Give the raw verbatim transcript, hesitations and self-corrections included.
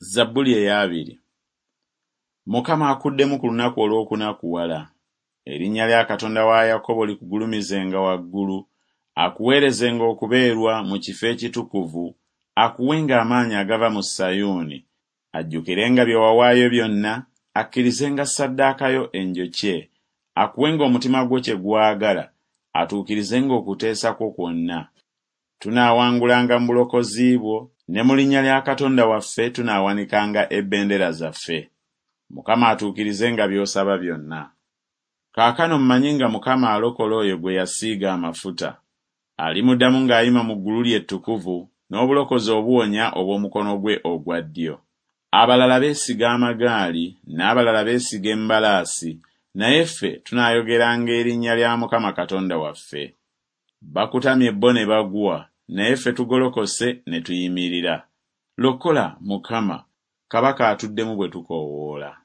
Zabbuli ey'abiri. Mukama akuddemu ku lunaku olw'okunakuwala. Erinnya lya Katonda wa Yakobo likugulumizenga waggulu, akuweerezenga okubeerwa mu kifo ekitukuvu, akuwenga amaanyi agava mu Sayuuni, ajjukirenga bye wawaayo byonna, akkirizenga ssaddaaka yo enjokye, akuwenga omutima gwo kye gwagala, atuukirizenga okuteesa kwo kwonna. Tunaawangulanga mu bulokozi bwo, ne mu linnya lya Katonda waffe tunaawanikanga ebendera zaffe. Mukama atuukirizenga by'osaba byonna. Kaakano mmanyi nga Mukama alokola oyo gwe yasiiga amafuta. Alimuddamu ng'ayima mu ggulu lye ettukuvu, n'obulokozi obuwonya obw'omukono gwe ogwa ddyo. Abalala beesiga amagaali, n'abalala beesiga embalaasi, naye ffe tunaayogeranga erinnya lya Mukama Katonda waffe. Bakutamye bo ne bagwa, naye ffe tugolokose ne tuyimirira. Lokola, Mukama, kabaka atuddemu bwe tukoowoola.